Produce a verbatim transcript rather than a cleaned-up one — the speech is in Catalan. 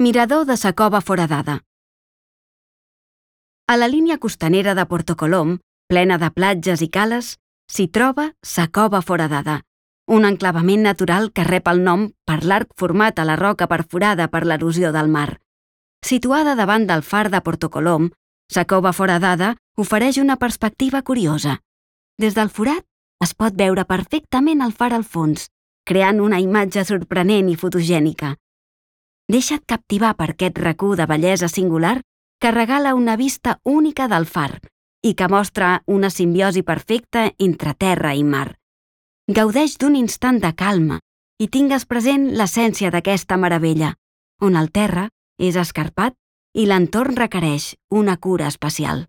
Mirador de sa Cova Foradada. A la línia costanera de Porto Colom, plena de platges i cales, s'hi troba sa Cova Foradada, un enclavament natural que rep el nom per l'arc format a la roca perforada per l'erosió del mar. Situada davant del far de Porto Colom, sa Cova Foradada ofereix una perspectiva curiosa. Des del forat es pot veure perfectament el far al fons, creant una imatge sorprenent i fotogènica. Deixa't captivar per aquest racó de bellesa singular que regala una vista única del far i que mostra una simbiosi perfecta entre terra i mar. Gaudeix d'un instant de calma i tingues present l'essència d'aquesta meravella, on el terra és escarpat i l'entorn requereix una cura especial.